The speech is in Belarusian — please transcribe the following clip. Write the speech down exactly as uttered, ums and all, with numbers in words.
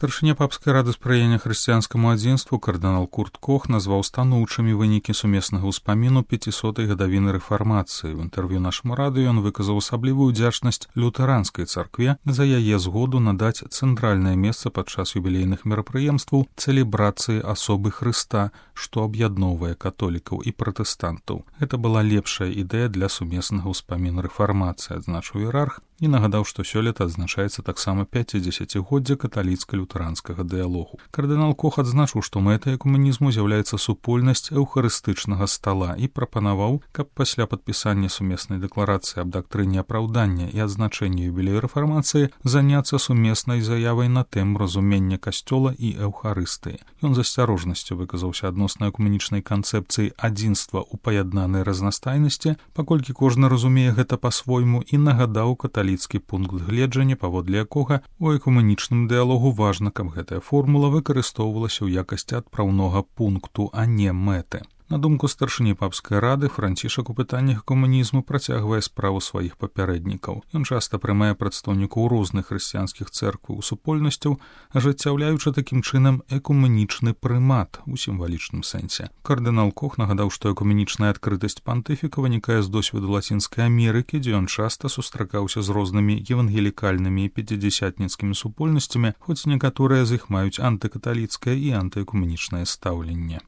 Старшыня папскай рады спрыяння хрысціянскаму адзінству кардынал Курт Кох назваў станоўчымі вынікі сумеснага ўспаміну пяцісотай гадавіны рэфармацыі. В інтэрв'ю нашаму радыё ён выказаў асаблівую удзячнасць лютэранскай царкве за яе згоду надаць цэнтральнае месца падчас юбілейных мерапрыемстваў цэлебрацыі асобы Хрыста, што аб'ядноўвае католікаў і пратэстантаў. Гэта была лепшая ідэя для сумеснага ўспаміну рэфармацыі, адзначыў іерарх, і нагадаў, што сёлета адзначаецца таксама пяцідзесяцігоддзе каталіцка-лютэранскага дыялогу. Кардынал Кох адзначыў, што мэтай экумэнізму з'яўляецца супольнасць эўхарыстычнага стала і прапанаваў, каб пасля падпісання сумеснай дэкларацыі аб дактрыне апраўдання і адзначэння юбілею рэфармацыі заняцца сумеснай заявай на тэму разумення касцёла і эўхарыстыі. Ён з асцярожнасцю выказаўся адносна экумэнічнай канцэпцыі адзінства ў паяднанай разнастайнасці, паколькі кожны разумее гэта па-свойму, і нагадаў каталіцкі пункт гледжання, паводле якога у экумэнічным дыялогу важна, каб гэтая формула выкарыстоўвалася ў якасці адпраўнога пункту, а не мэты. На думку старшыні папскай рады, Францішак у пытаннях камунізму працягвае справу сваіх папярэднікаў. Ён часта прымае прадстаўнікоў розных хрысціянскіх цэркваў і супольнасцяў, ажыццяўляючы такім чынам экумэнічны прымат у сімвалічным сэнсе. Кардынал Кох нагадаў, што экумэнічная адкрытасць пантыфіка вынікае з досведу Лацінскай Амерыкі, дзе ён часта сустракаўся з рознымі евангелікальнымі і пяцідзясятніцкімі супольнасцямі, хоць некаторыя з іх маюць антыкаталіцкае і антыэкумэнічнае стаўленне.